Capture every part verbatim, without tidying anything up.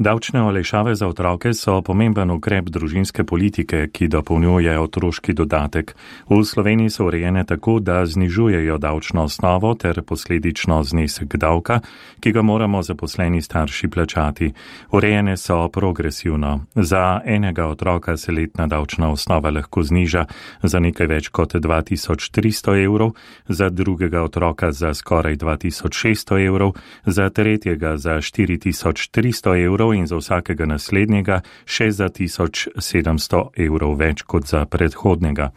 Davčne olajšave za otroke so pomemben ukrep družinske politike, ki dopolnjuje otroški dodatek. V Sloveniji so urejene tako, da znižujejo davčno osnovo ter posledično znesek davka, ki ga moramo zaposleni starši plačati. Urejene so progresivno. Za enega otroka se letna davčna osnova lahko zniža za nekaj več kot dva tisoč tristo evrov, za drugega otroka za skoraj dva tisoč šeststo evrov, za tretjega za štiri tisoč tristo evrov in za vsakega naslednjega še za tisoč sedemsto evrov več kot za predhodnega.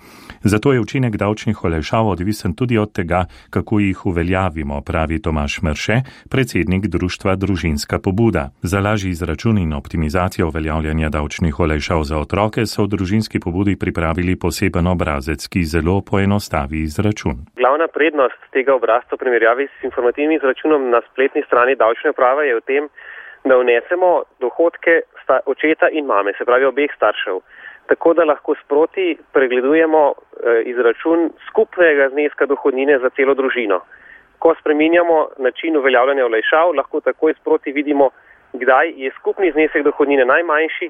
Zato je učinek davčnih olajšav odvisen tudi od tega, kako jih uveljavimo, pravi Tomaž Merše, predsednik društva Družinska pobuda. Za lažji izračun in optimizacijo uveljavljanja davčnih olajšav za otroke so v Družinski pobudi pripravili poseben obrazec, ki zelo poenostavi izračun. Glavna prednost tega obrazca v primerjavi s informativnim izračunom na spletni strani davčne uprave je v tem, da vnesemo dohodke očeta in mame, se pravi obeh staršev, tako da lahko sproti pregledujemo izračun skupnega zneska dohodnine za celo družino. Ko spreminjamo način uveljavljanja olajšav, lahko takoj sproti vidimo, kdaj je skupni znesek dohodnine najmanjši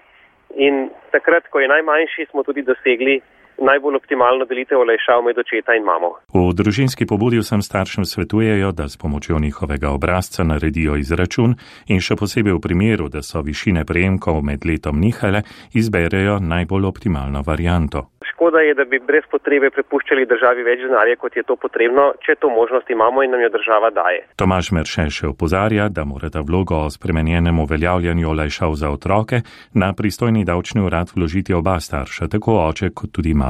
in takrat, ko je najmanjši, smo tudi dosegli najbolj optimalno delitev olajšav med očeta in mamo. V Družinski pobudi vsem staršem svetujejo, da s pomočjo njihovega obrazca naredijo izračun in še posebej v primeru, da so višine prejemkov med letom nihale, izberejo najbolj optimalno varianto. Škoda je, da bi brez potrebe prepuščali državi več denarja, kot je to potrebno, če to možnost imamo in nam jo država daje. Tomaž Merše še opozarja, da morata vlogo o spremenjenem uveljavljanju olajšav za otroke na pristojni davčni urad vložiti oba starša, tako oče kot tudi mama.